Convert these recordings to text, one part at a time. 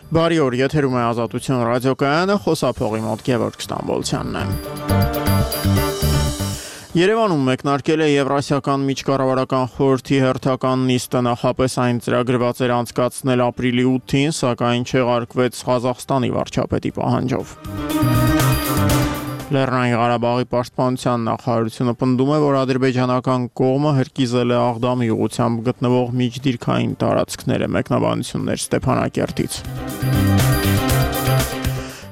Բարի օր, եթերում է Ազատություն ռադիոկայանը, խոսափողի մոտ Գևորգ Ստամբոլցյանն է։ Երևանում մեկնարկել է Եվրասիական միջկառավարական խորհրդի հերթական նիստը, նախապես այն ծրագրված էր անցկացնել ապրիլի 8-ին, սակայն չեղարկվեց Ղազախստանի վարչապետի պահանջով։ Լեռնային Ղարաբաղի պաշտպանության նախարարությունը պնդում է, որ ադրբեջանական կողմը հրկիզել է Աղդամի ուղղությամբ գտնվող միջդիրքային տարածքները, մեկնաբանություններ Ստեփանակերտից։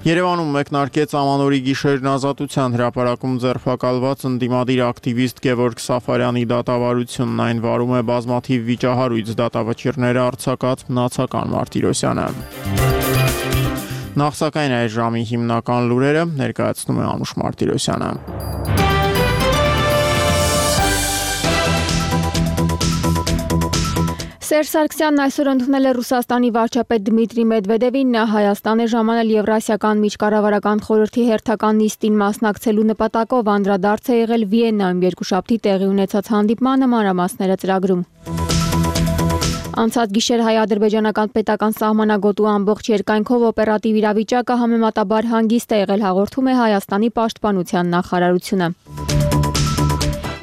Երևանում մեկնարկեց Ամանորի գիշերն ազատության հրապարակում ձերբակալված ընդդիմադիր ակտիվիստ Գևորգ Սաֆարյանի դատավարությունն, այն վարում է բազմաթիվ վիճահարույց դատավճիռները արձակած մնացական Մարտիրոսյանը։ Նախ սակայն այս ժամի հիմնական լուրերը ներկայացնում է Անուշ Մարտիրոսյանը։ Սերժ Սարգսյանն այսօր ընդունել է Ռուսաստանի վարչապետ Դմիտրի Մեդվեդևին, նա Հայաստան է ժամանել Եվրասիական միջկառավարական խորհրդի հերթական նիստին մասնակցելու նպատակով, անդրադարձ է եղել Վիեննայում երկուշաբթի տեղի ունեցած հանդիպմանը, մանրամասները ծրագրում։ Անցած գիշեր հայ-ադրբեջանական պետական սահմանագոտու ամբողջ երկայնքով օպերատիվ իրավիճակը համեմատաբար հանգիստ է եղել, հաղորդում է Հայաստանի պաշտպանության նախարարությունը։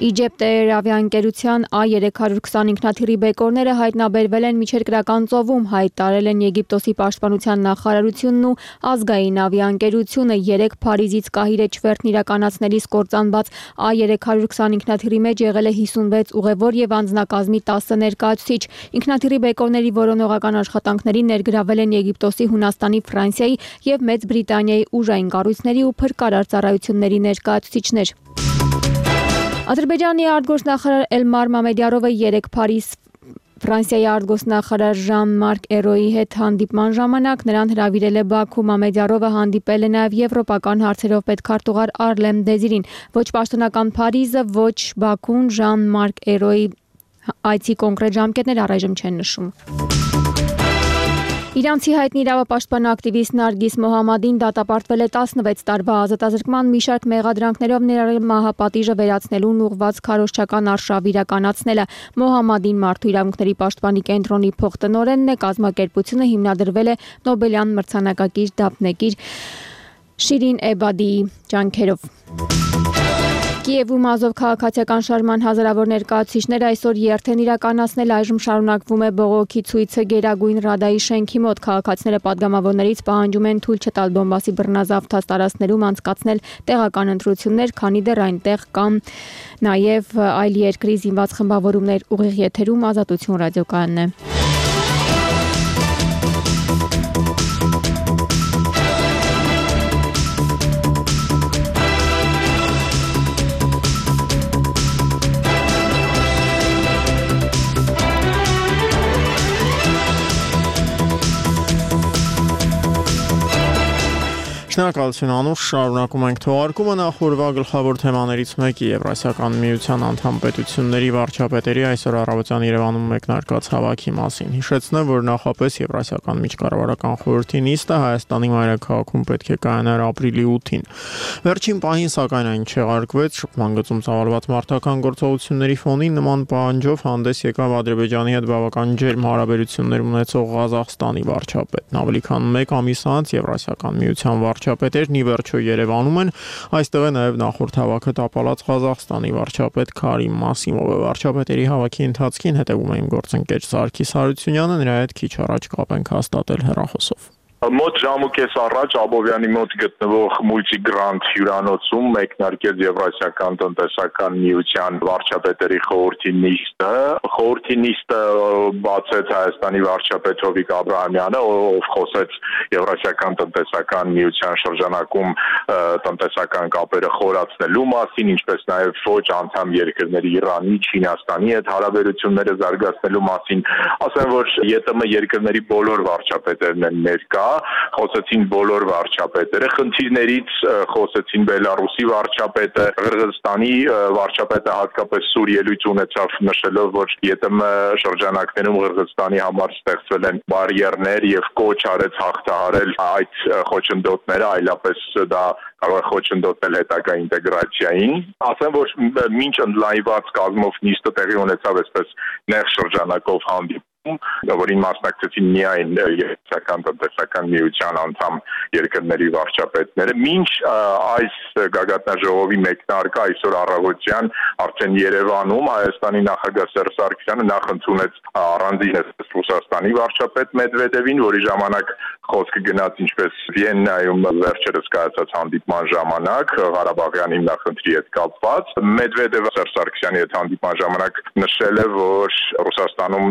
Իջիպտ ավիաընկերության A320 ինքնաթիռի բեկորները հայտնաբերվել են Միջերկրական ծովում, հայտարարել են Եգիպտոսի պաշտպանության նախարարությունն ու ազգային ավիաընկերությունը։ 3 Փարիզից Կահիրե չվերթն իրականացնելիս կործանված A320 ինքնաթիռի մեջ եղել է 56 ուղևոր եւ անձնակազմի 10 ներկայացուցիչ։ Ինքնաթիռի բեկորների որոնողական աշխատանքներին ներգրավել են Եգիպտոսի, Հունաստանի, Ֆրանսիայի եւ Մեծ Բրիտանիայի ուժային կառույցների ու փրկարար ծառայությունների ներկայացուցիչներ։ Ադրբեջանի արտգործնախարար Էլմար Մամեդյարովը 3 Փարիզ Ֆրանսիայի արտգործնախարար Ժան-Մարկ Էրոյի հետ հանդիպման ժամանակ նրան հրավիրել է Բաքու։ Մամեդյարովը հանդիպել է նաև եվրոպական հարցերով պետքարտուղար Արլեմ Դեզիրին։ Ոչ պաշտոնական Փարիզը, ոչ Բաքուն Ժան-Մարկ Էրոյի այցի կոնկրետ ժամկետներ առայժմ չեն նշում։ Իրանցի հայտնի իրավապաշտպան ակտիվիստ Նարգիս Մոհամմադին դատապարտվել է 16 տարվա ազատազրկման մի շարք մեղադրանքներով, ներառյալ մահապատիժը վերացնելուն ուղղված քարոզչական արշավ իրականացնելը։ Մոհամմադին Մարդու իրավունքների պաշտպանի կենտրոնի փոխտնօրենն է, կազմակերպությունը հիմնադրվել է Նոբելյան մրցանակակիր դափնեկիր Շիրին Էբադիի ջանքերով։ Կիևում Ազով քաղաքացիական շարժման հազարավոր ներկայացուցիչներ այսօր երթ են իրականացնել, այժմ շարունակվում է բողոքի ցույցը Գերագույն Ռադայի շենքի մոտ։ Քաղաքացիները պատգամավորներից պահանջում են թույլ չտալ Դոնբասի բռնազավթած տարածքներում անցկացնել տեղական ընտրություններ, քանի դեռ այնտեղ կան նաև այլ երկրի զինված խմբավորումներ։ Ուղիղ եթերում Ազատություն ռադիոկայանն է։ Շնորհակալություն Անուշ, շարունակում ենք թողարկումը, նախորդ գլխավոր թեմաներից մեկի Եվրասիական միության անդամ պետությունների վարչապետերի այսօր առավոտյան Երևանում մեկնարկած հավաքի մասին։ Հիշեցնեմ, որ նախապես Եվրասիական միջկառավարական խորհրդի նիստը Հայաստանի մայրաքաղաքում պետք է կայանար ապրիլի 8-ին։ Վերջին պահին սակայն այն չեղարկվեց, շփման գծում ծավալված մարտական գործողությունների ֆոնին նման պահանջով հանդես եկավ Ադրբեջանի հետ բավական ջերմ հարաբերություններ ունեցող Ղազախստանի վարչապետն։ Ավելի քան 1 ամիս անց Եվրասիական միության վարչապետերն ի վերջո Երևանում են, այստեղ է նաև նախորդ հավաքը տապալած Ղազախստանի վարչապետ Քարիմ Մասիմովը։ Վարչապետերի հավաքի ընթացքին հետևում է իմ գործընկեր Սարգիս Հարությունյանը, նրա հետ քիչ առաջ կապ ենք հաստատել հեռախոսով։ Մոտ ժամուկես առաջ Աբովյանի մոտ գտնվող Multigrandt հյուրանոցում մեկնարկեց Եվրասիական տնտեսական միության վարչապետերի խորհրդի նիստը։ Խորհրդի նիստը բացեց Հայաստանի վարչապետ Հովիկ Աբրահամյանը, ով խոսեց Եվրասիական տնտեսական միության շրջանակում տնտեսական կապերը խորացնելու մասին, ինչպես նաև ոչ անդամ երկրների Իրանի, Չինաստանի հետ հարաբերությունները զարգացնելու մասին։ Ասեմ, որ ԵՏՄ երկրների բոլոր վարչապետերն են ներկա, խոսեցին բոլոր վարչապետերը, խնդիրներից խոսեցին Բելարուսի վարչապետը, Qırğızstani վարչապետը հատկապես սուր ելույթ ունեցավ, նշելով, որ ԵՏՄ շրջանակներում Qırğızstani համար ստեղծվել են բարիերներ եւ կոչ արեց հաղթահարել այդ խոչընդոտները, այլապես դա կարող է խոչընդոտել հետագա ինտեգրացիային։ Ասեմ, որ մինչ ընդլայնված կազմով նիստը տեղի ունեցավ այսպես նեղ շրջանակով որին մասնակցեցին միայն Եվրասիական տնտեսական միության անդամ երկրների վարչապետները, մինչ այս գագաթնաժողովի մեկնարկը այսօր առավոտյան արդեն Երևանում Հայաստանի նախագահ Սերժ Սարգսյանը նախ ընդունեց առանձին Ռուսաստանի վարչապետ Մեդվեդևին, որի ժամանակ խոսքը գնաց ինչպես Վիեննայում վերջերս կայացած հանդիպման ժամանակ Ղարաբաղյան հիմնախնդրի հետ կապված։ Մեդվեդևը Սերժ Սարգսյանի հետ հանդիպման ժամանակ նշել է, որ Ռուսաստանում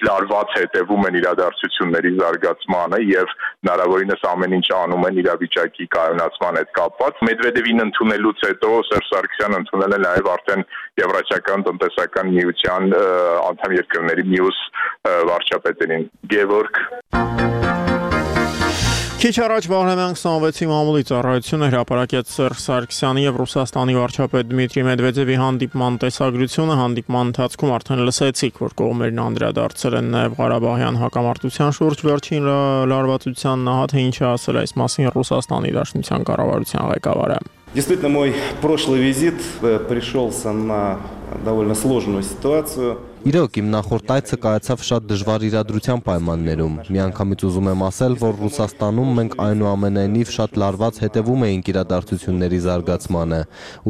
լարված հետևում են իրադարձությունների զարգացմանը եւ հնարավորինս ամեն ինչ անում են իրավիճակի կայունացման հետ կապված։ Մեդվեդևին ընդունելուց հետո Սերժ Սարգսյանը ընդունել է նաեւ արդեն Եվրասիական տնտեսական միության անդամ երկրների մյուս վարչապետերին Գևորգ Քիչ առաջ Վահրամյան 26-ի մամուլի ծառայությունը հրապարակեց Սերժ Սարգսյանի եւ Ռուսաստանի վարչապետ Դմիտրի Մեդվեդևի հանդիպման տեսագրությունը։ Հանդիպման ընթացքում արդեն լսեցիք, որ կողմերն անդրադարձել են նաեւ Ղարաբաղյան հակամարտության շուրջ վերջին լարվածության նա թե ինչ ասել այս մասին Ռուսաստանի Դաշնության կառավարության ղեկավարը։ Действительно, мой прошлый визит пришелся на довольно сложную ситуацию. Իրոք իմ նախորդ այցը կայացավ շատ դժվար իրադրության պայմաններում։ Միանգամից ուզում եմ ասել, որ Ռուսաստանում մենք այնուամենայնիվ շատ լարված հետևում էինք իրադարձությունների զարգացմանը,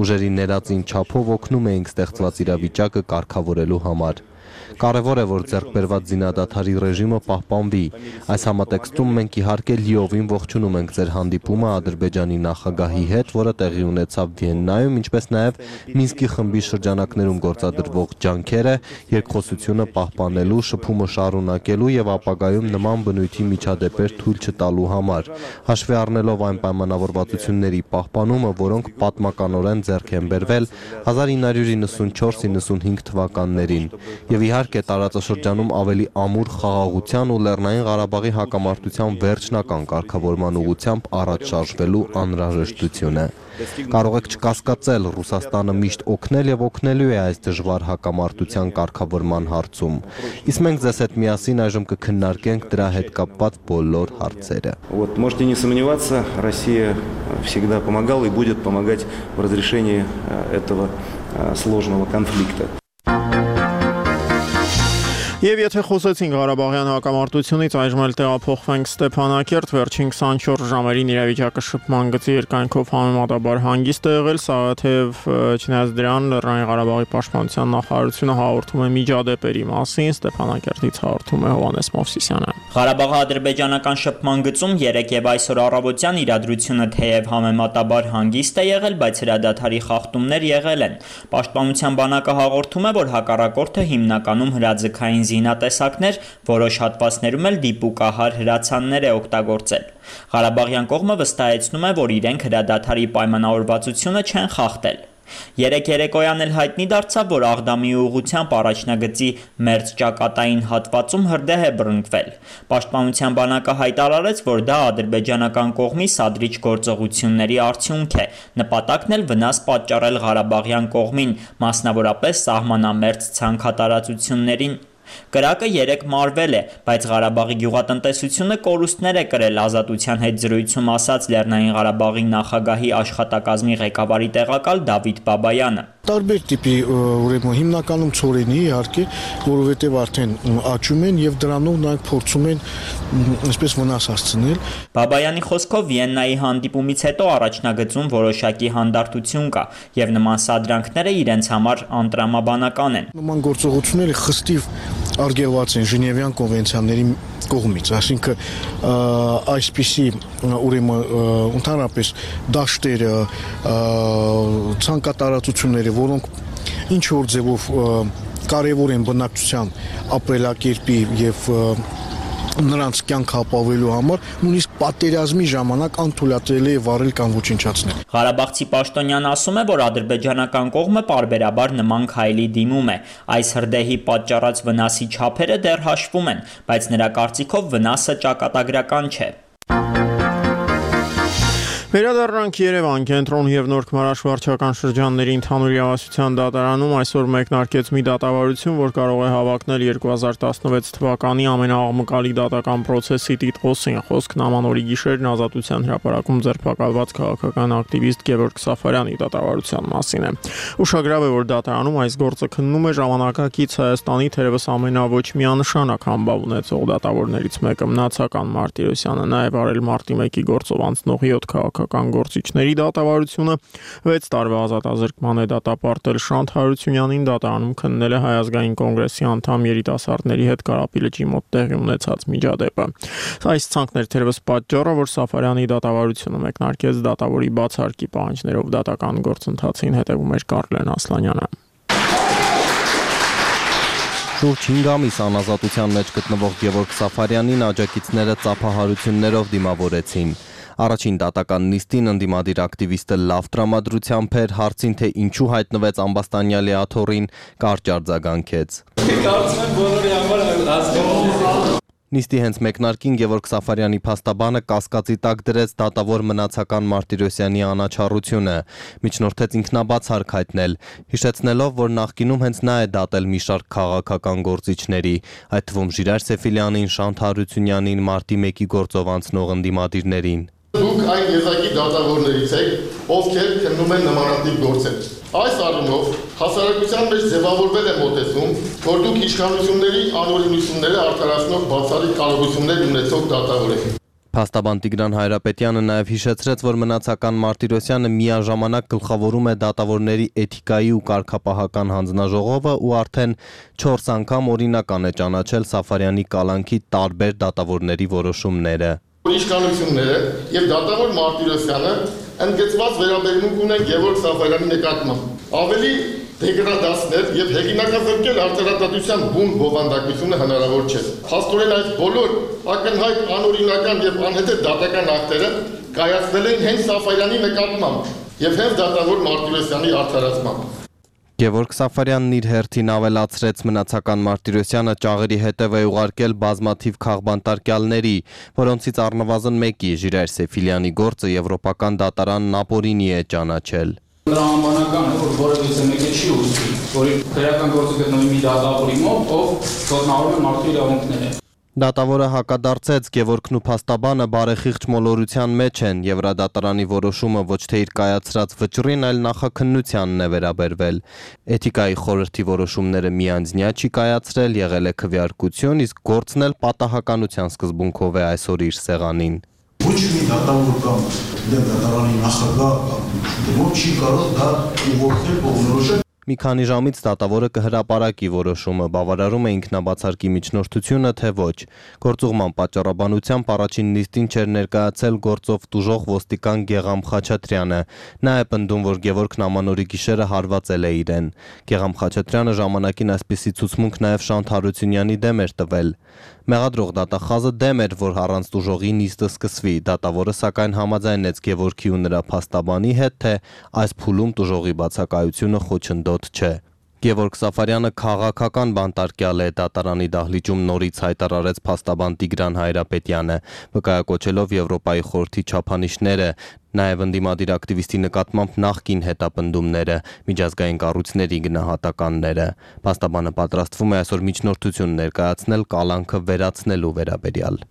ուժերի ներածին չափով օգնում էինք ստեղծված իրավիճակը կարգավորելու համար։ Կարևոր է, որ ձեռքբերված զինադադարի ռեժիմը պահպանվի։ Այս համատեքստում մենք իհարկե լիովին ողջունում ենք ձեր հանդիպումը Ադրբեջանի նախագահի հետ, որը տեղի ունեցավ Վիեննայում, ինչպես նաև Մինսկի խմբի շրջանակներում գործադրվող ջանքերը երկխոսությունը պահպանելու, շփումը շարունակելու եւ ապագայում նման բնույթի միջադեպեր թույլ չտալու համար, հաշվի առնելով այն պայմանավորվածությունների պահպանումը, որոնք պատմականորեն ձեռք են բերվել 1994-95 թվականներին եւ իհարկե տարածաշրջանում ավելի ամուր խաղաղության ու Լեռնային Ղարաբաղի հակամարտության վերջնական կարգավորման ուղղությամբ առաջ շարժվելու անհրաժեշտությունը։ Կարող եք չկասկածել, Ռուսաստանը միշտ օգնել եւ օգնելու է այս դժվար հակամարտության կարգավորման հարցում։ Իսկ մենք ձեզ հետ միասին այժմ կքննարկենք դրա հետ կապված բոլոր հարցերը։ Вот, можете не сомневаться, Россия всегда помогала и будет помогать в разрешении этого сложного конфликта. Եվ եթե խոսեցինք Ղարաբաղյան հակամարտությունից, այժմ էլ տեղափոխվենք Ստեփանակերտ, վերջին 24 ժամերին իրավիճակը շփման գծի երկայնքով համեմատաբար հանգիստ է եղել, սակայն չնայած դրան Լեռնային Ղարաբաղի պաշտպանության նախարարությունը հաղորդում է միջադեպերի մասին, Ստեփանակերտից հաղորդում է Հովհաննես Մովսիսյանը։ Ղարաբաղի ադրբեջանական շփման գծում 3 եւ այսօր առավոտյան իրադրությունը թեև համեմատաբար հանգիստ է եղել, բայց հրադադարի խախտումներ եղել են։ Պաշտպանության բանակը հաղորդում է, որ հակառակորդը հիմնականում հրաձգային զինատեսակներ, որոշ հատվածներում էլ դիպուկահար հրացաններ է օգտագործել։ Ղարաբաղյան կողմը վստահեցնում է, որ իրենք հրադադարի պայմանավորվածությունը չեն խախտել։ Երեկ երեկոյան էլ հայտնի դարձավ, որ Աղդամի ուղղությամբ առաջնագծի մերձ ճակատային հատվածում հրդեհ է բռնկվել։ Պաշտպանության բանակը հայտարարեց, որ դա ադրբեջանական կողմի սադրիչ գործողությունների արդյունք է, նպատակն էլ վնաս պատճառել Ղարաբաղյան կողմին, մասնավորապես սահմանամերձ ցանքատարածություններին։ Կրակը 3 մարվել է, բայց Ղարաբաղի գյուղատնտեսությունը կորուստներ է կրել, Ազատության հետ զրույցում ասաց Լեռնային Ղարաբաղի նախագահի աշխատակազմի ղեկավարի տեղակալ Դավիթ Բաբայանը։ Տարբեր տիպի ուրեմն հիմնականում ծորենի իհարկե, որովհետև արդեն աճում են եւ դրանով նրանք փորձում են այսպես վնաս հասցնել։ Բաբայանի խոսքով Վիեննայի հանդիպումից հետո առաջնագծում որոշակի հանդարտություն կա եւ նման սադրանքները իրենց համար անտրամաբանական են։ Նման գործողությունները խստիվ արգելված են Ժնևյան կոնվենցիաների կողմից, այսինքն այսպիսի ուրեմն ընդհանրապես դաշտերը, ցանկատարածությունները, որոնք ինչ որ ձևով կարևոր են բնակչության ապրելակերպի եւ նրանց կյանքը ապավելու համար նույնիսկ պատերազմի ժամանակ անթույլատրելի է վարել կամ ոչնչացնել։ Ղարաբաղցի պաշտոնյան ասում է, որ ադրբեջանական կողմը պարբերաբար նման քայլի դիմում է։ Այս հրդեհի պատճառած վնասի չափերը դեռ հաշվում են, բայց նրա կարծիքով վնասը ճակատագրական չէ։ Վերադառնանք Երևան, Կենտրոն եւ Նորքմարաշ վարչական շրջանների ընդհանուր իրավասության դատարանում այսօր մեկնարկեց մի դատավարություն, որ կարող է հավակնել 2016 թվականի ամենաաղմկալի դատական process-ի տիտղոսին։ Խոսքն Ամանորի գիշերն Ազատության հրապարակում ձերբակալված քաղաքական ակտիվիստ Գևորգ Սաֆարյանի դատավարության մասին է։ Ուշագրավ է, որ դատարանում այս գործը քննում է ժամանակակից Հայաստանի թերևս ամենավոչ միանշանակ համբավ ունեցող դատավորներից մեկը Մնացական Մարտիրոսյանը, նաեւ արել մարտի 1-ի գործով անցնող 7 քաղաքական գործիչների դատավարությունը 6 տարվա ազատազրկման է դատապարտել Շանթ Հարությունյանին, դատարանում քննել է Հայ ազգային կոնգրեսի անդամ երիտասարդների հետ Կարապի լճի մոտ տեղի ունեցած միջադեպը։ Այս ցանկներ թերևս պատճառը, որ Սաֆարյանի դատավարությունը մեկնարկեց դատավորի բացարկի պահանջներով դատական գործընթացին, հետևում էր Կարլեն Ասլանյանը։ Շուրջ 5 ամիս անազատության մեջ գտնվող Գևորգ Սաֆարյանին աջակիցները ծափահարություններով դիմավորեցին։ Առաջին դատական նիստին ընդդիմադիր ակտիվիստը լավ տրամադրությամբ էր, հարցին թե ինչու հայտնվեց ամբաստանյալի աթոռին, կարճ արձագանքեց։ Կարծում եմ բոլորի համար հասկանալի։ Նիստի հենց մեկնարկին Գևորգ Սաֆարյանի փաստաբանը կասկածի տակ դրեց դատավոր Մնացական Մարտիրոսյանի անաչառությունը, միջնորդեց ինքնաբացարկ հայտնել, հիշեցնելով, որ նախկինում հենց նա է դատել մի շարք քաղաքական գործիչների, այդ թվում Ժիրայր Սեֆիլյանին, Շանթ Հարությունյանին, մարտի 1-ի գործով անցնող ընդդիմադիրներին։ Դուք այն եզակի դատավորներից եք, ովքեր քննում են նմանատիպ գործեր։ Այս առումով հասարակության մեջ ձևավորվել է մոտեցում, որ դուք իշխանությունների անօրինությունները արդարացնող բացառիկ կարողություններ ունեցող դատավոր եք։ Փաստաբան Տիգրան Հայրապետյանը նաև հիշեցրեց, որ Մնացական Մարտիրոսյանը միաժամանակ գլխավորում է դատավորների էթիկայի ու կարգապահական հանձնաժողովը ու արդեն 4 անգամ օրինական է ճանաչել Սաֆարյանի կալանքի տարբեր դատավորների որոշումները։ Իշխանությունները եւ դատավոր Մարտիրոսյանը ընդգծված վերաբերմունք ունեն Գևորգ Սաֆարյանի նկատմամբ։ Ավելի դեգրադացնել եւ հեղինակազրկել արտարադատության բուն բովանդակությունը հնարավոր չէ։ Փաստորեն այս բոլոր ակնհայտ անօրինական եւ անհետեթ դատական ակտերը կայացվել են հենց Սաֆարյանի նկատմամբ եւ հենց դատավոր Մարտիրոսյանի արդարացմամբ։ Գևորգ Սաֆարյանն իր հերթին ավելացրեց Մնացական Մարտիրոսյանը ճաղերի հետև է ուղարկել բազմաթիվ քաղբանտարկյալների, որոնցից առնվազն մեկի Ժիրայր Սեֆիլյանի գործը եվրոպական դատարանն ապօրինի է ճանաչել։ Տրամաբանական է, որ որևէ մեկը չի ուզի, որի քրեական գործը գտնվի մի դատավորի մոտ, ով ոտնահարում է մարդու իրավունքները։ Դատավորը հակադարձեց Գևորգն ու փաստաբանը բարեխիղճ մոլորության մեջ են, Եվրադատարանի որոշումը ոչ թե իր կայացրած վճռին, այլ նախաքննությանն է վերաբերվել։ Էթիկայի խորհրդի որոշումները միանձնյա չի կայացրել, եղել է քվեարկություն, իսկ գործն էլ պատահականության սկզբունքով է այսօր իր սեղանին։ Ոչ մի դատավոր կամ դատարանի նախագահ չի կարող դա ուղղորդել կողմնորոշել։ Մի քանի ժամից դատավորը կհրապարակի որոշումը, բավարարում է ինքնաբացարկի միջնորդությունը, թե ոչ։ Գործուղման պատճառաբանությամբ առաջին նիստին չէր ներկայացել գործով տուժող ոստիկան Գեգամ Խաչատրյանը։ Նա է պնդում, որ Գևորգն Ամանորի գիշերը հարվածել է իրեն։ Գեգամ Խաչատրյանը ժամանակին այսպիսի ցուցմունք նաև Շանթ Հարությունյանի դեմ էր տվել։ Մեղադրող դատախազը դեմ էր, որ առանց տուժողի նիստը սկսվի, դատավորը սակայն համաձայնեց Գևորգի ու նրա փաստաբանի հետ, թե այս փուլում տուժողի բացակայությունը խոչընդոտ չէ։ Գևորգ Սաֆարյանը քաղաքական բանտարկյալ է, դատարանի դահլիճում նորից հայտարարեց փաստաբան Տիգրան Հայրապետյանը, վկայակոչելով Եվրոպայի խորհրդի չափանիշները, նաև ընդդիմադիր ակտիվիստի նկատմամբ նախկին հետապնդումները, միջազգային կառույցների գնահատականները։ Փաստաբանը պատրաստվում է այսօր միջնորդություն ներկայացնել կալանքը վերացնելու վերաբերյալ։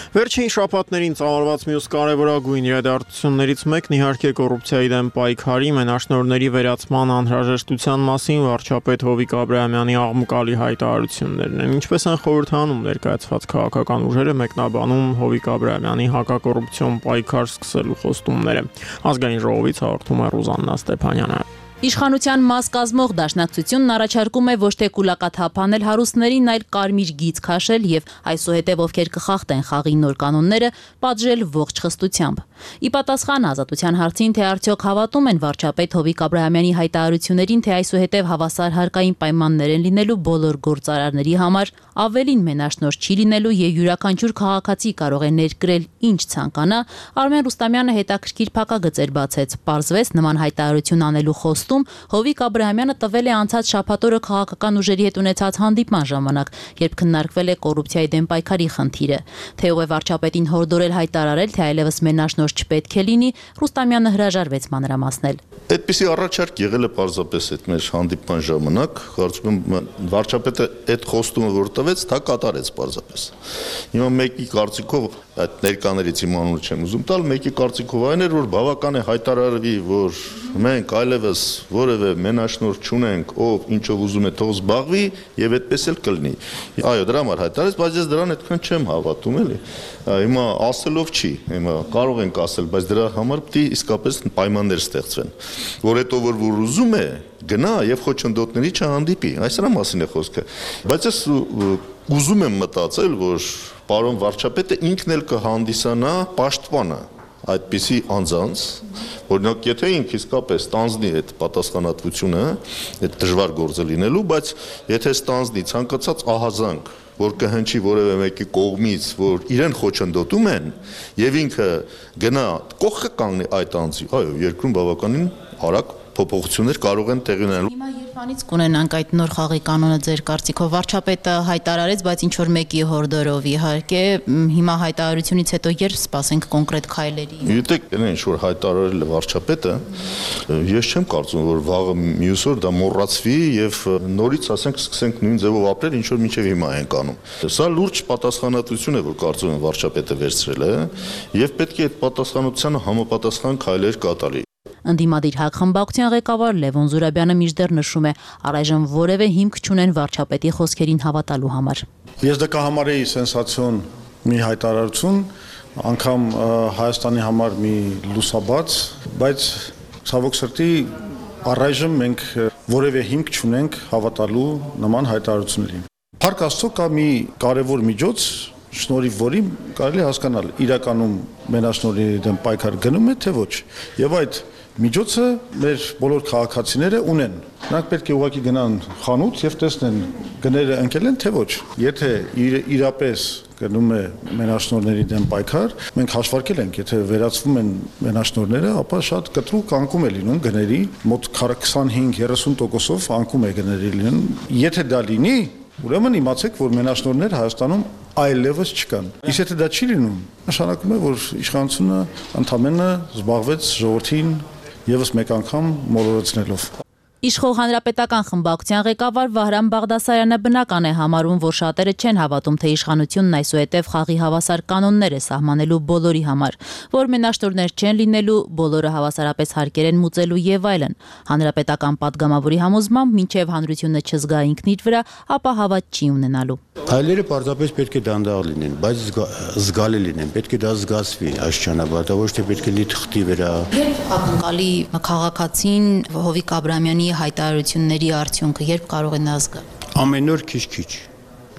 Վերջին շաբաթներին ծավալված մյուս կարևորագույն իրադարձություններից մեկն իհարկե կոռուպցիայի դեմ պայքարի, մենաշնորհների վերացման անհրաժեշտության մասին վարչապետ Հովիկ Աբրահամյանի աղմկալի հայտարարություններն են։ Ինչպես են խորհրդանում ներկայացված քաղաքական ուժերը մեկնաբանում Հովիկ Աբրահամյանի հակակոռուպցիոն պայքար սկսելու խոստումները։ Ազգային ժողովից հաղորդում է Ռուզաննա Ստեփանյանը։ Իշխանության մաս կազմող դաշնակցությունն առաջարկում է ոչ թե կուլակաթափ անել հարուստներին, այլ կարմիր գիծ քաշել եւ այսուհետեւ ովքեր կխախտեն խաղի նոր կանոնները, պատժել ողջ խստությամբ։ Ի պատասխան Ազատության հարցին, թե արդյոք հավատում են վարչապետ Հովիկ Աբրահամյանի հայտարարություններին, թե այսուհետեւ հավասար հարկային պայմաններ են լինելու բոլոր գործարարների համար, ավելին մենաշնորհ չի լինելու եւ յուրաքանչյուր քաղաքացի կարող է ներկրել ինչ ցանկանա, Արմեն Ռուստամյանը հետաքրքիր փակագծեր բացեց, պարզվեց նման հայտարարություն անելու խոստ փաստում Հովիկ Աբրահամյանը տվել է անցած շաբաթօրը քաղաքական ուժերի հետ ունեցած հանդիպման ժամանակ, երբ քննարկվել է կոռուպցիայի դեմ պայքարի խնդիրը։ Թե ով է վարչապետին հորդորել հայտարարել, թե այլևս մենաշնորհ չպետք է լինի, Ռուստամյանը հրաժարվեց մանրամասնել։ Այդպիսի առաջարկ եղել է պարզապես այդ մեր հանդիպման ժամանակ, կարծում եմ վարչապետը այդ խոստումը որ տվեց, դա կատարեց պարզապես։ Հիմա մեկի կարծիքով այդ ներկաներից իմ անունը չեմ ուզում տալ, մեկի կարծիքով այն էր, որ բավական է հայտարարվի, որ մենք այլևս որևէ մենաշնորհ չունենք, ով ինչով ուզում է թող զբաղվի եւ այդպես էլ կլինի։ Այո, դրա համար հայտարարեց, բայց ես դրան այդքան չեմ հավատում էլի։ Հիմա ասելով չի, հիմա կարող ենք ասել, բայց դրա համար պետք է իսկապես պայմաններ ստեղծվեն, որ հետո որ ուզում է գնա եւ խոչընդոտների չհանդիպի, այս դրա մասին է խոսքը։ Բայց ես ուզում եմ մտածել, որ պարոն վարչապետը ինքն էլ կհանդիսանա պաշտպանը այդպիսի անձանց, օրինակ եթե ինքը իսկապես ստանձնի այդ պատասխանատվությունը, այդ դժվար գործը լինելու, բայց եթե ստանձնի ցանկացած ահազանգ, որ կհնչի որևէ մեկի կողմից, որ իրեն խոչընդոտում են, եւ ինքը գնա կողքը կանգնի այդ անձի, այո, երկրում բավականին արագ փոփոխություններ կարող են տեղի ունենալ։ Հիմա երբանից կունենանք այդ նոր խաղի կանոնը ձեր կարծիքով, վարչապետը հայտարարեց, բայց ինչ որ մեկի հորդորով իհարկե, հիմա հայտարարությունից հետո երբ սպասենք կոնկրետ քայլերի։ Գիտեք, ինչ որ հայտարարել է վարչապետը, ես չեմ կարծում, որ վաղը մյուս օր դա մոռացվի եւ նորից ասենք սկսենք նույն ձևով ապրել, ինչ որ մինչեւ հիմա ենք անում։ Սա լուրջ պատասխանատվություն է, որ կարծում եմ վարչապետը վերցրել է եւ պետք է այդ պատասխանատվությանը համապատասխան քայլեր կատարի։ Ընդդիմադիր հակխմբակցության ղեկավար Լևոն Զուրաբյանը մինչդեռ նշում է, առայժմ որևէ հիմք չունեն վարչապետի խոսքերին հավատալու համար։ Ես դա կհամարեի սենսացիոն մի հայտարարություն, անգամ Հայաստանի համար մի լուսաբաց, բայց ցավոք սրտի առայժմ մենք որևէ հիմք չունենք հավատալու նման հայտարարություններին։ Փառք Աստծո կա մի կարևոր միջոց, շնորհիվ որի կարելի հասկանալ իրականում մենաշնորհի դեմ պայքար գնում է թե ոչ։ Եվ այդ միջոցը մեր բոլոր քաղաքացիները ունեն։ Նրանք պետք է ուղղակի գնան խանութ եւ տեսնեն գները ընկել են թե ոչ։ Եթե իրապես գնում է մենաշնորհների դեմ պայքար, մենք հաշվարկել ենք, եթե վերացվում են մենաշնորհները, ապա շատ կտրուկ անկում է լինում գների, մոտ 25-30%-ով անկում է գների լինում։ Եթե դա լինի, ուրեմն իմացեք, որ մենաշնորհներ Հայաստանում այլևս չկան։ Իսկ եթե դա չի լինում, նշանակում է, որ իշխանությունը ընդամենը զբաղվեց ժողովրդին եւս մեկ անգամ մոլորեցնելով։ Իշխող հանրապետական խմբակցության ղեկավար Վահրամ Բաղդասարյանը բնական է համարում, որ շատերը չեն հավատում, թե իշխանությունն այսուհետև խաղի հավասար կանոններ է սահմանելու բոլորի համար, որ մենաշնորհներ չեն լինելու, բոլորը հավասարապես հարկեր են մուծելու եւ այլն։ Հանրապետական падգամավորի համոզմամբ, մինչեւ հանրությունը չզգա ինքն իր վրա, ապա հավատ չի ունենալու։ Քայլերը պարզապես պետք է դանդաղ լինեն, բայց զգալի լինեն, պետք է դա զգացվի այս ճանապարհը, ոչ թե պետք է լինի թղթի վրա։ Երբ ակնկալի քաղաքացին Հովիկ Աբրահամյանի հայտարարությունների արդյունքը երբ կարող է նա զգալ։ Ամեն օր քիչ-քիչ։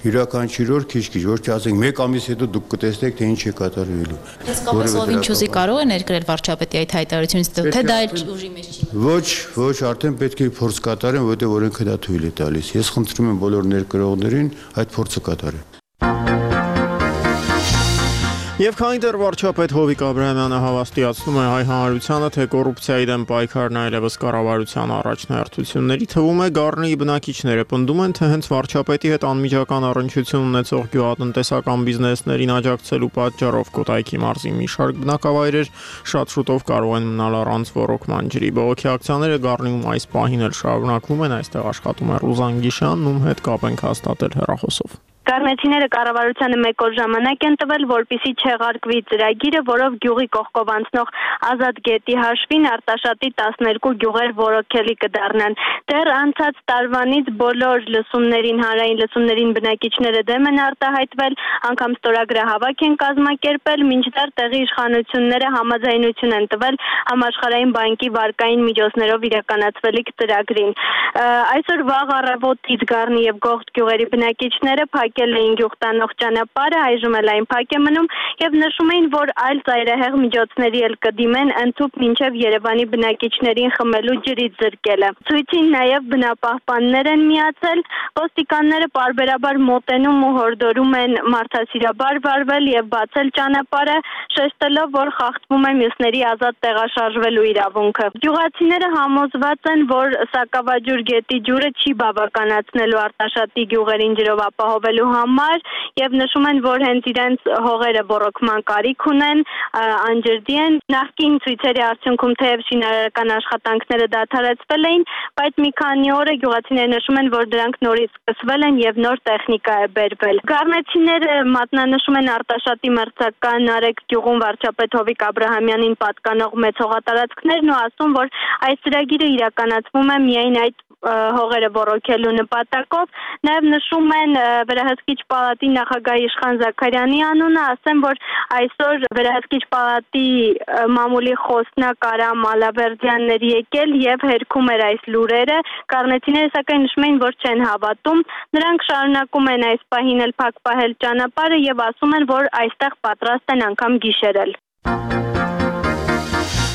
Յուրաքանչյուր օր քիչ-քիչ, ոչ թե ասենք մեկ ամիս հետո դուք կտեսնեք թե ինչ է կատարվելու։ Իսկապես ով ինչ ուզի կարող է ներկրել վարչապետի այդ հայտարարությունից, թե դա էլ ուժի մեջ չի։ Ոչ, արդեն պետք է փորձ կատարեն, որտեղ օրենքը դա թույլ է տալիս։ Ես խնդրում եմ բոլոր ներկրողներին այդ փորձը կատարեն։ Եվ քանի դեռ վարչապետ Հովիկ Աբրահամյանը հավաստիացնում է հայ հանրությանը, թե կոռուպցիայի դեմ պայքարն այլևս կառավարության առաջնահերթությունների թվում է, Գառնիի բնակիչները պնդում են, թե հենց վարչապետի հետ անմիջական առնչություն ունեցող գյուղատնտեսական բիզնեսներին աջակցելու պատճառով Կոտայքի մարզի մի շարք բնակավայրեր շատ շուտով կարող են մնալ առանց ոռոգման ջրի։ Բողոքի ակցիաները Գառնիում այս պահին էլ շարունակվում են, այստեղ աշխատում է Ռուզան Գիշյանն, ում հետ կապ ենք հաստատել հեռախոսով։ Գառնեցիները կառավարությանը մեկ օր ժամանակ են տվել, որպեսզի չեղարկվի ծրագիրը, որով գյուղի կողքով անցնող Ազատ գետի հաշվին Արտաշատի 12 գյուղեր ոռոգելի կդառնան։ Դեռ անցած տարվանից բոլոր լսումներին, հանրային լսումներին բնակիչները դեմ են արտահայտվել, անգամ ստորագրահավաք են կազմակերպել, մինչդեռ տեղի իշխանությունները համաձայնություն են տվել Համաշխարհային բանկի վարկային միջոցներով իրականացվելիք ծրագրին։ Այսօր վաղ առավոտից Գառնի եւ Գողթ գյուղերի բնակիչները փակել էին գյուղ տանող ճանապարհը, այժմ էլ այն փակ է մնում եւ նշում էին, որ այլ ծայրահեղ միջոցների էլ կդիմեն ընդհուպ մինչեւ Երևանի բնակիչներին խմելու ջրից զրկելը։ Ցույցին նաեւ բնապահպաններ են միացել, ոստիկանները պարբերաբար մոտենում ու հորդորում են մարդասիրաբար վարվել եւ բացել ճանապարհը, շեշտելով, որ խախտվում է մյուսների ազատ տեղաշարժվելու իրավունքը։ Գյուղացիները համոզված են, որ Սակավաջուր գետի ջուրը չի բավականացնելու Արտաշատի գյուղերին ջրով ապահովելու համար եւ նշում են, որ հենց իրենց հողերը ռոռոկման կարիք ունեն, անջրդի են։ Նախկին ցույցերի արդյունքում թեև շինարարական աշխատանքները դադարեցվել էին, բայց մի քանի օր է գյուղացիները նշում են, որ դրանք նորից սկսվել են եւ նոր տեխնիկա է բերվել։ Գառնեցիները մատնանշում են Արտաշատի մրցական Արեգ գյուղում վարչապետ Հովիկ Աբրահամյանին պատկանող մեծ հողատարածքներն ու ասում, որ այս ծրագիրը իրականացվում է միայն այդ հողերը ռոռոկելու նպատակով։ Նաև նշում են վերահսկիչ պալատի նախագահ Իշխան Զաքարյանի անունը, ասեմ, որ այսօր վերահսկիչ պալատի մամուլի խոսնակ Արամ Ալավերդյանն էր եկել եւ հերքում էր այս լուրերը։ Կառնեցիները սակայն նշում են, որ չեն հավատում։ Նրանք շարունակում են այս պահին էլ փակ պահել ճանապարհը եւ ասում են, որ այստեղ պատրաստ են անգամ գիշերել։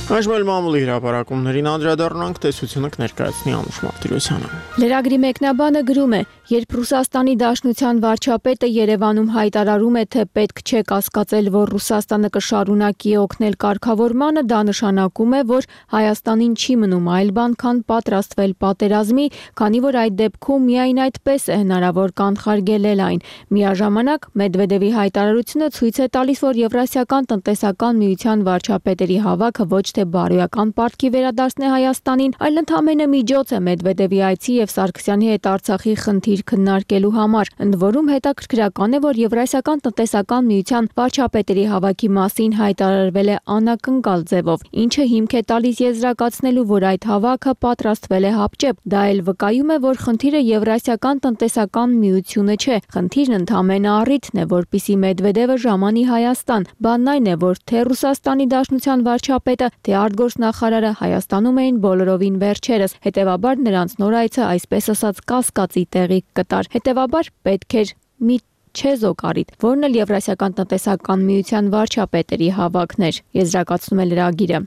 Այժմ էլ մամուլի հրապարակումներին անդրադառնանք, տեսությունը կներկայացնի Անուշ Մարտիրոսյանը։ Լրագրի մեկնաբանը գրում է. երբ Ռուսաստանի Դաշնության վարչապետը Երևանում հայտարարում է, թե պետք չէ կասկածել, որ Ռուսաստանը կշարունակի օգնել կարգավորմանը, դա նշանակում է, որ Հայաստանին չի մնում այլ բան, քան պատրաստվել պատերազմի, քանի որ այդ դեպքում միայն այդպես է հնարավոր կանխարգելել այն։ Միաժամանակ Մեդվեդևի հայտարարությունը ցույց է տալիս, որ Եվրասիական տնտեսական միության վարչապետերի հավաքը ոչ թե բարոյական պարտքի վերադարձն է Հայաստանին, այլ ընդամենը միջոց է Մեդվեդևի այցի եւ Սարգսյանի հետ Արցախի խնդիր քննարկելու համար։ Ընդ որում հետաքրքրական է, որ Եվրասիական տնտեսական միության վարչապետերի հավաքի մասին հայտարարվել է անակնկալ ձևով, ինչը հիմք է տալիս եզրակացնելու, որ այդ հավաքը պատրաստվել է հապճեպ։ Դա էլ վկայում է, որ խնդիրը Եվրասիական տնտեսական միությունը չէ, խնդիրն ընդամենը առիթն է, որպիսի Մեդվեդևը ժամանի Հայաստան։ Բանն այն է, որ թե Ռուսաստանի Դաշնության վարչապետը, թե արտգործնախարարը Հայաստանում էին բոլորովին վերջերս, հետևաբար նրանց նոր այցը այսպես ասած կասկածի տեղի կտար։ Հետևաբար պետք էր մի չեզոք առիթ, որն էլ Եվրասիական տնտեսական միության վարչապետերի հավաքն էր, եզրակացնում է լրագիրը։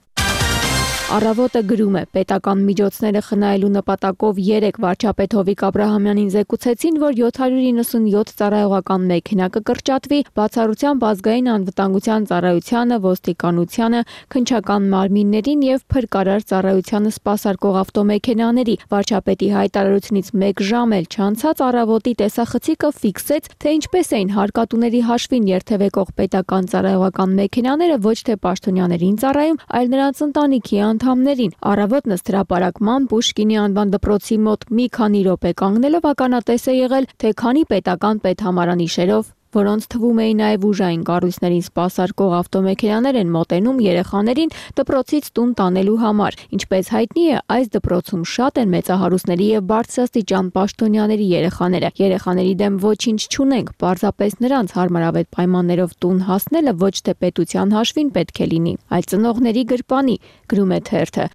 Առավոտը գրում է. պետական միջոցները խնայելու նպատակով 3 վարչապետ Հովիկ Աբրահամյանին զեկուցեցին, որ 797 ծառայողական մեքենա կկրճատվի, բացառությամբ ազգային անվտանգության ծառայությանը, ոստիկանությանը, քննչական մարմիններին եւ փրկարար ծառայությանը սպասարկող ավտոմեքենաների։ Վարչապետի հայտարարությունից 1 ժամ էլ չանցած առավոտի տեսախցիկը ֆիքսեց, թե ինչպես էին հարկատուների հաշվին երթևեկող պետական ծառայողական մեքենաները ոչ թե պաշտոնյաներին ծառայում, այլ նրանց ընտանիքի անդամներին։ Առավոտն ըստ հրապարակման Պուշկինի անվան դպրոցի մոտ մի քանի րոպե կանգնելով ականատես է եղել, թե քանի պետական պետհամարանիշերով, որոնց թվում էին նաև ուժային կառույցներին սպասարկող ավտոմեքենաներ են մոտենում երեխաներին դպրոցից տուն տանելու համար։ Ինչպես հայտնի է, այս դպրոցում շատ են մեծահարուստների եւ բարձրաստիճան պաշտոնյաների երեխաները։ Երեխաների դեմ ոչինչ չունենք, պարզապես նրանց հարմարավետ պայմաններով տուն հասնելը ոչ թե պետության հաշվին պետք է լինի, այլ ծնողների գրպանի, գրում է թերթը։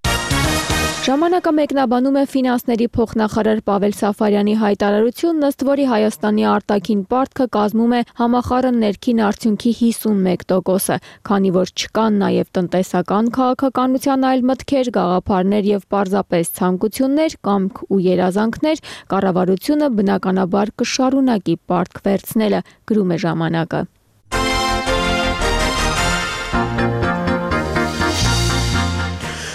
Ժամանակը մեկնաբանում է ֆինանսների փոխնախարար Պավել Սաֆարյանի հայտարարությունն, ըստ որի Հայաստանի արտաքին պարտքը կազմում է համախառն ներքին արդյունքի 51%-ը, քանի որ չկան նաև տնտեսական քաղաքականության այլ մտքեր, գաղափարներ եւ պարզապես ցանկություններ, կամք ու երազանքներ, կառավարությունը բնականաբար կշարունակի պարտք վերցնելը, գրում է ժամանակը։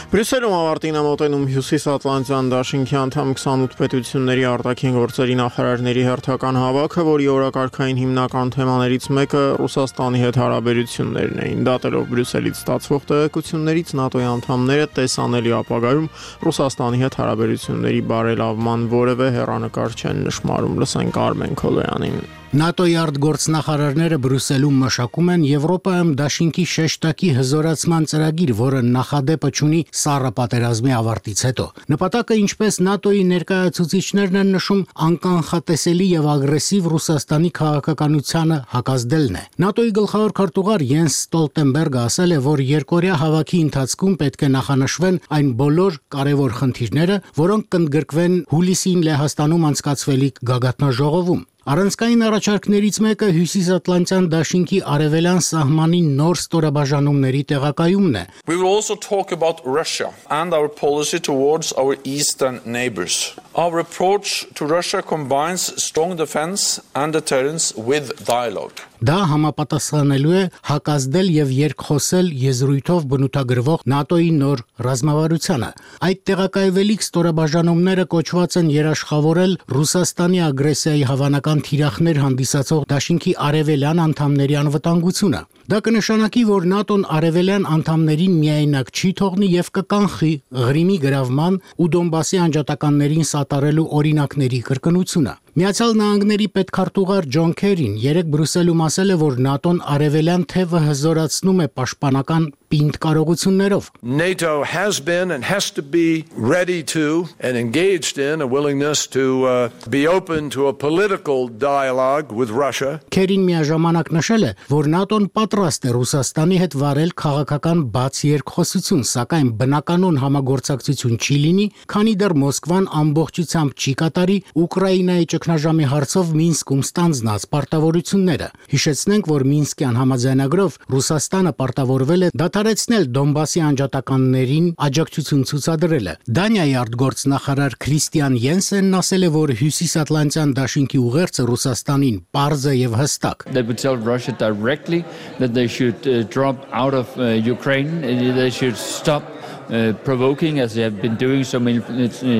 Բրյուսելում ավարտին է մոտենում Հյուսիսատլանտյան դաշինքի անդամ 28 պետությունների արտաքին գործերի նախարարների հերթական հավաքը, որի օրակարգային հիմնական թեմաներից մեկը Ռուսաստանի հետ հարաբերություններն էին։ Դատելով Բրյուսելից ստացվող տեղեկություններից ՆԱՏՕ-ի անդամները տեսանելի ապագայում Ռուսաստանի հետ հարաբերությունների բարելավման որևէ հեռանկար չեն նշмарում։ Լսենք Արմեն Քոլոյանին։ ՆԱՏՕ-ի արտգործնախարարները Բրյուսելում մշակում են Եվրոպայում դաշինքի շեշտակի հզորացման ծրագիր, որը նախադեպը ունի սառը պատերազմի ավարտից հետո։ Նպատակը, ինչպես ՆԱՏՕ-ի ներկայացուցիչներն են նշում, անկանխատեսելի եւ ագրեսիվ Ռուսաստանի քաղաքականությանը հակազդելն է։ ՆԱՏՕ-ի գլխավոր քարտուղար Յենս Ստոլտենբերգը ասել է, որ երկօրյա հավաքի ընթացքում պետք է նախանշվեն այն բոլոր կարևոր խնդիրները, որոնք կընդգրկվեն հուլիսին Լեհաստանում անցկացվելիք գագաթնաժողովում։ Առանցքային առաջարկներից մեկը Հյուսիսատլանտյան դաշինքի արևելյան սահմանին նոր ստորաբաժանումների տեղակայումն է։ We will also talk about Russia and our policy towards our eastern neighbors. Our approach to Russia combines strong defense and deterrence with dialogue. Դա համապատասխանելու է հակազդել եւ երկխոսել եզրույթով բնութագրվող ՆԱՏՕ-ի նոր ռազմավարությանը։ Այդ տեղակայվելիք ստորաբաժանումները կոչված են երաշխավորել Ռուսաստանի ագրեսիայի հավանական թիրախներ հանդիսացող դաշինքի արևելյան անդամների անվտանգությունը։ Դա կնշանակի, որ ՆԱՏՕ-ն արևելյան անդամներին միայնակ չի թողնի եւ կկանխի Ղրիմի գրավման ու Դոնբասի անջատականներին սատարելու օրինակների կրկնությունը։ Միացյալ Նահանգների պետքարտուղար Ջոն Քերին երեկ Բրյուսելում ասել է, որ ՆԱՏՕ-ն արևելյան թևը հզորացնում է պաշտպանական պինդ կարողություններով։ NATO has been and has to be ready to and engaged in a willingness to be open to a political dialogue with Russia. Քերին միաժամանակ նշել է, որ ՆԱՏՕ-ն պատրաստ է Ռուսաստանի հետ վարել քաղաքական բաց երկխոսություն, սակայն բնականon համագործակցություն չի լինի, քանի դեռ Մոսկվան ամբողջությամբ չի կատարի Ուկրաինայի ճգնաժամի հարցով Մինսկում ստանձնած պարտավորությունները։ Հիշեցնենք, որ Մինսկյան համաձայնագրով Ռուսաստանը պարտավորվել է դադարեցնել Դոնբասի անջատականներին աջակցություն ցուցադրելը։ Դանիայի արտգործնախարար Քրիստիան Յենսենն ասել է, որ Հյուսիսատլանտյան դաշինքի ուղերձը Ռուսաստանին պարզ է եւ հստակ։ They would tell Russia directly that they should drop out of Ukraine, they should stop provoking as they have been doing so many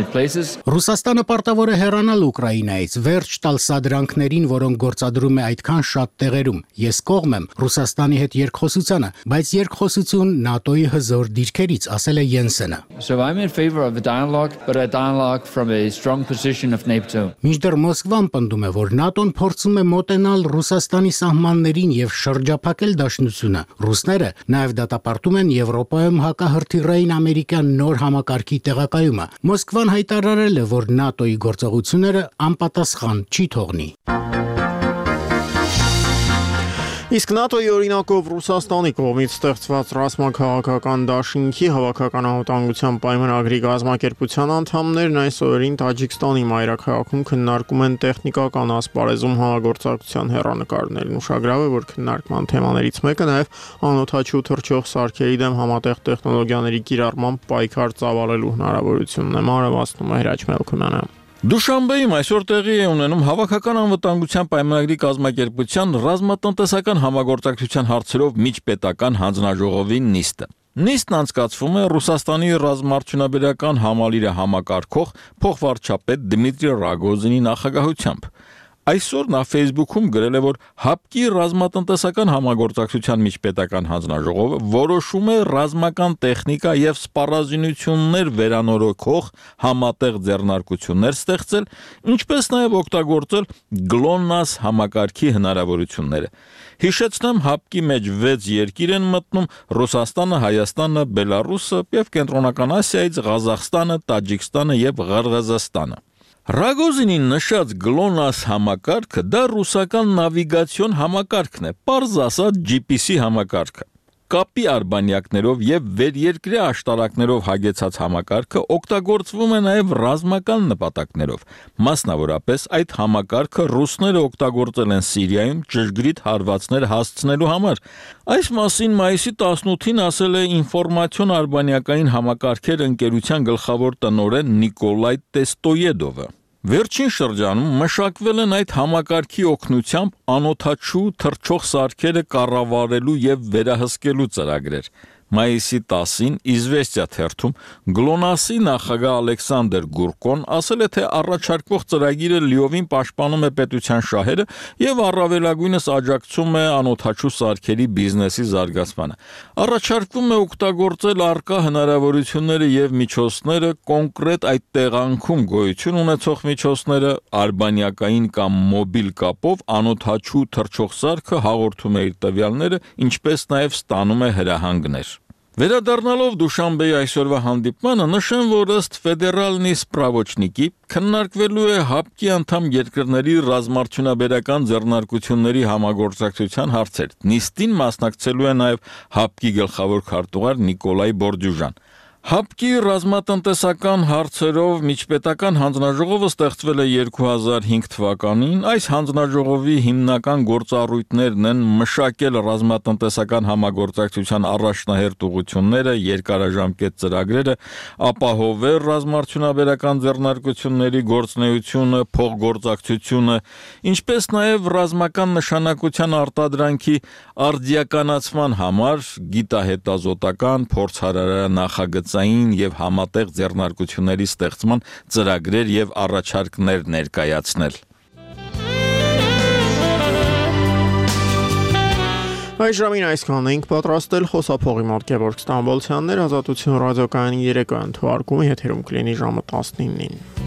places. Ռուսաստանը պարտավոր է հեռանալ Ուկրաինայից, վերջ տալ սադրանքներին, որոնք գործադրում է այդքան շատ տեղերում։ Ես կողմ եմ Ռուսաստանի հետ երկխոսությանը, բայց երկխոսություն ՆԱՏՕ-ի հզոր դիրքերից, ասել է Յենսենը։ So I'm in favor of a dialogue, but a dialogue from a strong position of NATO. Մինչդեռ Մոսկվան պնդում է, որ ՆԱՏՕ-ն փորձում է մոտենալ Ռուսաստանի սահմաններին եւ շրջափակել դաշնությունը։ Ռուսները նաեւ դատապարտում են Եվրոպայում հակահրթիռային ամերիկյան նոր համակարգի տեղակայումը։ Մոսկվան հայտարարել է, որ ՆԱՏՕ-ի գործողությունները անպատասխան չի թողնի։ Իսկ ՆԱՏՕ-ի օրինակով Ռուսաստանի կողմից ստեղծված ռազմաքաղաքական դաշինքի հավաքական անվտանգության պայմանագրի կազմակերպության անդամներն այս օրերին Տաջիկստանի մայրաքաղաքում քննարկում են տեխնիկական ասպարեզում համագործակցության հեռանկարներն։ Ուշագրավ է, որ քննարկման թեմաներից մեկը նաև անօդաչու թռչող սարքերի դեմ համատեղ տեխնոլոգիաների կիրառման պայքար ծավալելու հնարավորությունն է։ Մանրամասնում է Հրաչ Մելքումյանը։ Դուշանբեում այսօր տեղի է ունենում հավաքական անվտանգության պայմանագրի կազմակերպության ռազմատնտեսական համագործակցության հարցերով միջպետական հանձնաժողովի նիստը։ Նիստն անցկացվում է Ռուսաստանի ռազմաարդյունաբերական համալիրը համակարգող փոխվարչապետ Դմիտրի Ռագոզինի նախագահությամբ։ Այսօր նա Facebook-ում գրել է, որ ՀԱՊԿ-ի ռազմատնտեսական համագործակցության միջպետական հանձնաժողովը որոշում է ռազմական տեխնիկա եւ սպառազինություններ վերանորոգող համատեղ ձեռնարկություններ ստեղծել, ինչպես նաեւ օգտագործել GLONASS համակարգի հնարավորությունները։ Հիշեցնեմ, ՀԱՊԿ-ի մեջ 6 երկիր են մտնում՝ Ռուսաստանը, Հայաստանը, Բելարուսը եւ Կենտրոնական Ասիայից Ղազախստանը, Տաջիկստանը եւ Ղրղըզստանը։ Ռագոզինին նշած GLONASS համակարգը դա ռուսական նավիգացիոն համակարգն է, պարզ ասած GPS համակարգը։ Կապի արբանյակներով եւ վերերկրյա աշտարակներով հագեցած համակարգը օգտագործվում է նաեւ ռազմական նպատակներով։ Մասնավորապես այդ համակարգը ռուսները օգտագործել են Սիրիայում ճշգրիտ հարվածներ հասցնելու համար։ Այս մասին մայիսի 18-ին ասել է ինֆորմացիոն արբանյակային համակարգեր ընկերության գլխավոր տնօրեն Նիկոլայ Տեստոյեդովը։ Վերջին շրջանում մշակվել են այդ համակարգի օգնությամբ անօդաչու թռչող սարքերը կառավարելու եւ վերահսկելու ծրագրեր։ Մայիսի 10-ին Իզվեստիա թերթում GLONASS-ի նախագահ Ալեքսանդր Գուրկոն ասել է, թե առաջարկվող ծրագիրը լիովին պաշտպանում է պետության շահերը եւ առավելագույնս աջակցում է անօդաչու սարքերի բիզնեսի զարգացմանը։ Առաջարկվում է օգտագործել առկա հնարավորությունները եւ միջոցները կոնկրետ այդ տեղանքում գոյություն ունեցող միջոցները արբանյակային կամ մոբիլ կապով անօդաչու թռչող սարքը հաղորդում է իր տվյալները, ինչպես նաեւ ստանում է հրահանգներ։ Վերադառնալով Դուշանբեի այսօրվա հանդիպմանը նշեմ, որ ըստ ֆեդերալնի սպրավոչնիկի քննարկվելու է ՀԱՊԿ-ի անդամ երկրների ռազմաարդյունաբերական ձեռնարկությունների համագործակցության հարցեր։ Նիստին մասնակցելու է նաև ՀԱՊԿ-ի գլխավոր քարտուղար Նիկոլայ Բորդյուժան։ ՀԱՊԿ-ի ռազմատնտեսական հարցերով միջպետական հանձնաժողովը ստեղծվել է 2005 թվականին։ Այս հանձնաժողովի հիմնական գործառույթներն են մշակել ռազմատնտեսական համագործակցության առաջնահերթ ուղղությունները, երկարաժամկետ ծրագրերը, ապահովել ռազմաարդյունաբերական ձեռնարկությունների գործունեությունը, փոխգործակցությունը, ինչպես նաև ռազմական նշանակության արտադրանքի արդիականացման համար գիտահետազոտական, փորձարարական նախագծային եւ համատեղ ձեռնարկությունների ստեղծման ծրագրեր եւ առաջարկներ ներկայացնել։ Այս ժամին այսքանն ենք պատրաստել խոսափողի մոտ Գևորգ Ստամբոլցյաններ, Ազատություն ռադիոկայանի երեկոյան թողարկումը եթերում կլինի ժամը 19-ին։